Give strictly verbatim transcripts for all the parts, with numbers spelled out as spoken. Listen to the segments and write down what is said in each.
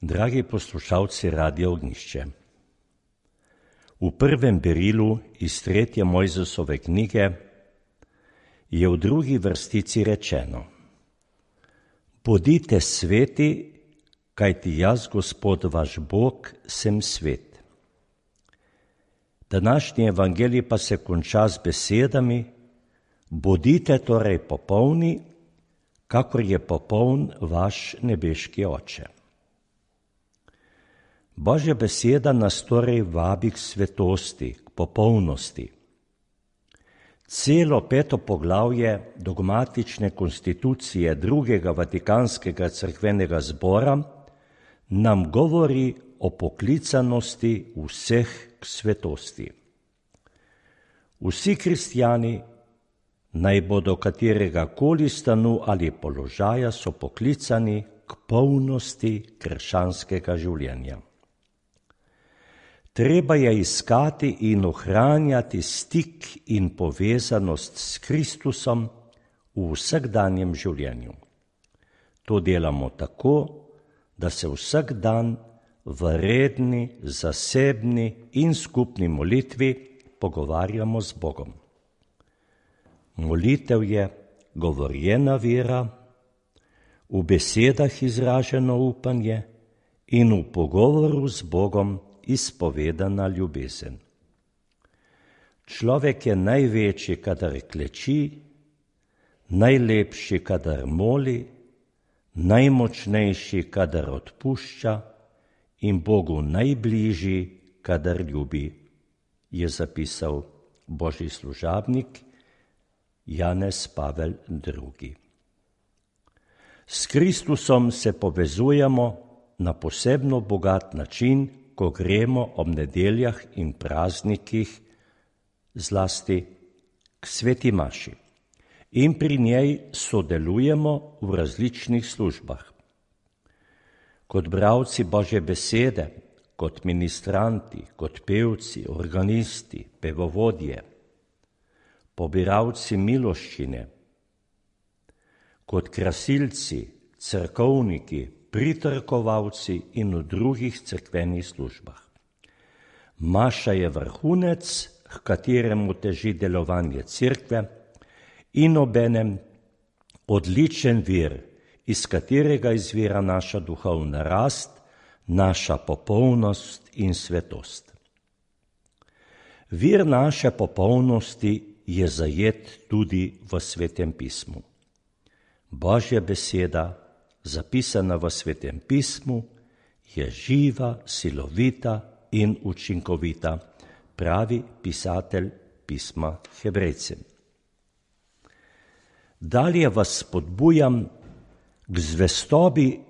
Dragi poslušalci Radia Ognjišče, v prvem berilu iz tretje Mojzesove knjige je v drugi vrstici rečeno: Bodite sveti, kajti jaz, Gospod vaš Bog, sem svet. Današnji evangelij pa se konča z besedami: Bodite torej popolni, kakor je popoln vaš nebeški Oče. Božja beseda nas torej vabi k svetosti, k popolnosti. Celo peto poglavje dogmatične konstitucije drugega Vatikanskega cerkvenega zbora nam govori o poklicanosti vseh k svetosti. Vsi kristjani, naj bodo katerega koli stanu ali položaja, so poklicani k polnosti krščanskega življenja. Treba je iskati in ohranjati stik in povezanost s Kristusom v vsakdanjem življenju. To delamo tako, da se vsak dan v redni, zasebni in skupni molitvi pogovarjamo z Bogom. Molitev je govorjena vera, v besedah izraženo upanje in v pogovoru z Bogom izpovedana ljubezen. Človek je največji, kadar kleči, najlepši, kadar moli, najmočnejši, kadar odpušča in Bogu najbližji, kadar ljubi, je zapisal Božji služabnik Janez Pavel drugi. S Kristusom se povezujemo na posebno bogat način, ko gremo ob nedeljah in praznikih zlasti k sveti maši in pri njej sodelujemo v različnih službah. Kot bralci Božje besede, kot ministranti, kot pevci, organisti, pevovodje, pobiralci miloščine, kot krasilci, cerkovniki, pritrkovalci in v drugih cerkvenih službah. Maša je vrhunec, h kateremu teži delovanje cerkve in obenem odličen vir, iz katerega izvira naša duhovna rast, naša popolnost in svetost. Vir naše popolnosti je zajet tudi v Svetem pismu. Božja beseda, zapisana v Svetem pismu, je živa, silovita in učinkovita, pravi pisatelj pisma Hebrejcem. Dalje vas spodbujam k zvestobi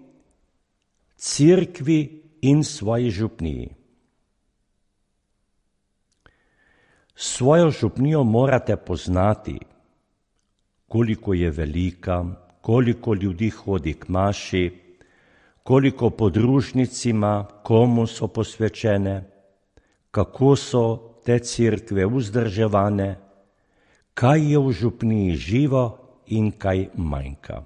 cerkvi in svoji župniji. Svojo župnijo morate poznati, koliko je velika, koliko ljudi hodi k maši, koliko podružnic ima, komu so posvečene, kako so te cerkve vzdrževane, kaj je v župniji živo in kaj manjka.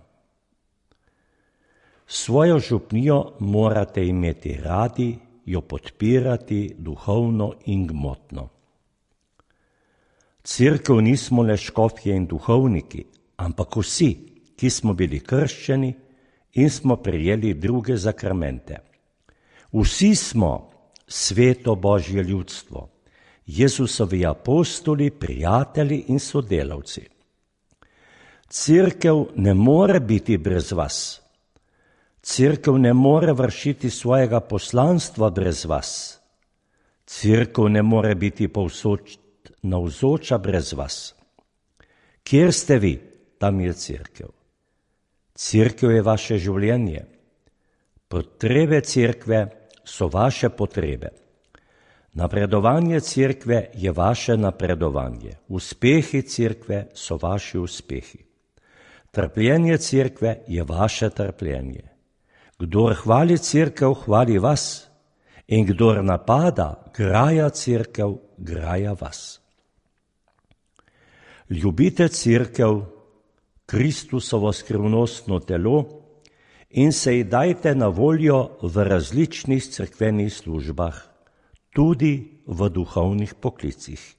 Svojo župnijo morate imeti radi, jo podpirati duhovno in gmotno. Cerkev nismo le škofje in duhovniki, ampak vsi, ki smo bili krščeni in smo prejeli druge zakramente. Vsi smo sveto Božje ljudstvo, Jezusovi apostoli, prijatelji in sodelavci. Cerkev ne more biti brez vas. Cerkev ne more vršiti svojega poslanstva brez vas. Cerkev ne more biti povsod navzoča brez vas. Kjer ste vi, tam je cerkev. Cerkev je vaše življenje. Potrebe cerkve so vaše potrebe. Napredovanje cerkve je vaše napredovanje. Uspehi cerkve so vaši uspehi. Trpljenje cerkve je vaše trpljenje. Kdor hvali cerkev, hvali vas. In kdor napada, graja cerkev, graja vas. Ljubite cerkev, Kristusovo skrivnostno telo, in se ji dajte na voljo v različnih cerkvenih službah, tudi v duhovnih poklicih.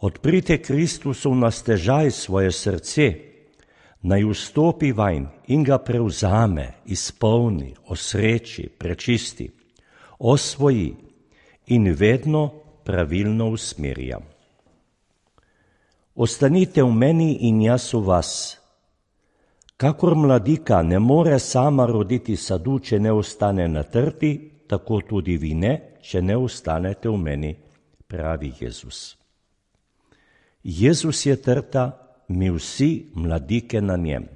Odprite Kristusu na stežaj svoje srce, naj vstopi vanj in ga prevzame, izpolni, osreči, prečisti, osvoji in vedno pravilno usmerja. Ostanite v meni in jaz v vas. Kakor mladika ne more sama roditi sadu, če ne ostane na trti, tako tudi vi ne, če ne ostanete v meni, pravi Jezus. Jezus je trta, mi vsi mladike na njem.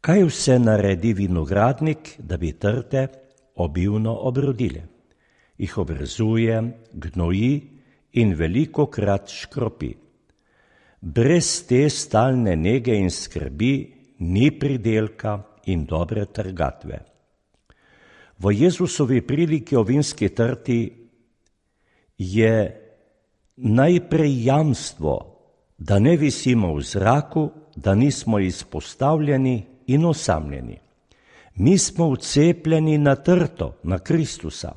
Kaj vse naredi vinogradnik, da bi trte obilno obrodile? Jih obrezuje, gnoji in velikokrat škropi. Brez te stalne nege in skrbi ni pridelka in dobre trgatve. V Jezusovi priliki o vinski trti je najprej jamstvo, da ne visimo v zraku, da nismo izpostavljeni in osamljeni. Mi smo vcepljeni na trto, na Kristusa.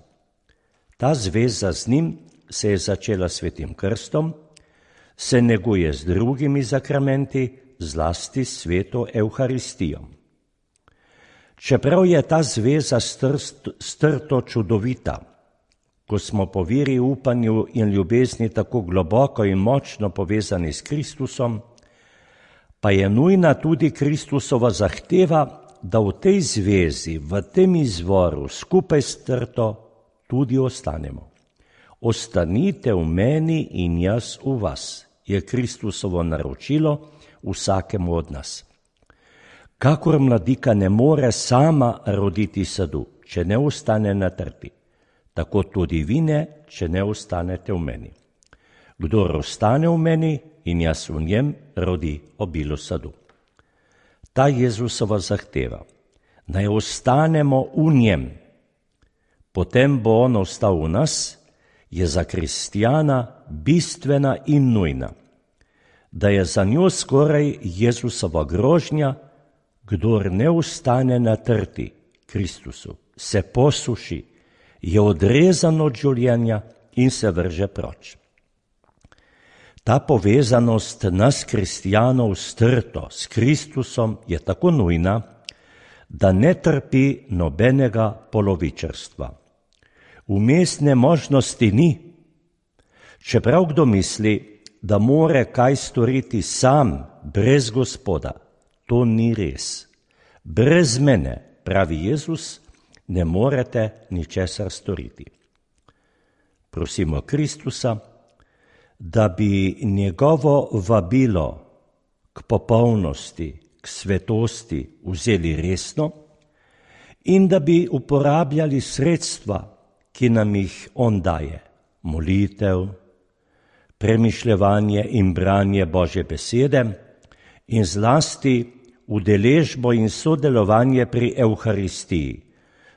Ta zveza z njim se je začela svetim krstom, se neguje z drugimi zakramenti, zlasti sveto Evharistijo. Čeprav je ta zveza strto čudovita, ko smo po veri, upanju in ljubezni tako globoko in močno povezani s Kristusom, pa je nujna tudi Kristusova zahteva, da v tej zvezi, v tem izvoru, skupaj s trto tudi ostanemo. Ostanite v meni in jaz v vas, je Kristusovo naročilo vsakemu od nas. Kakor mladika ne more sama roditi sadu, če ne ostane na trti, tako tudi vi ne, če ne ostanete v meni. Kdor ostane v meni in jaz v njem, rodi obilo sadu. Ta Jezusova zahteva, naj ostanemo v njem, potem bo on ostal v nas, je za kristjana bistvena in nujna, da je za njo skoraj Jezusova grožnja, kdor ne ostane na trti Kristusu, se posuši, je odrezan od življenja in se vrže proč. Ta povezanost nas kristjanov s trto, s Kristusom je tako nujna, da ne trpi nobenega polovičarstva. Vmesne možnosti ni. Čeprav kdo misli, da more kaj storiti sam, brez Gospoda, to ni res. Brez mene, pravi Jezus, ne morete ničesar storiti. Prosimo Kristusa, da bi njegovo vabilo k popolnosti, k svetosti vzeli resno in da bi uporabljali sredstva, ki nam jih on daje, molitev, premišljevanje in branje Božje besede in zlasti udeležbo in sodelovanje pri Evharistiji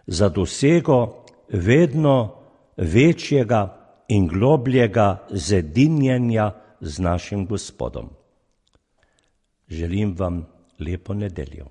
za dosego vedno večjega in globljega zedinjenja z našim Gospodom. Želim vam lepo nedeljo.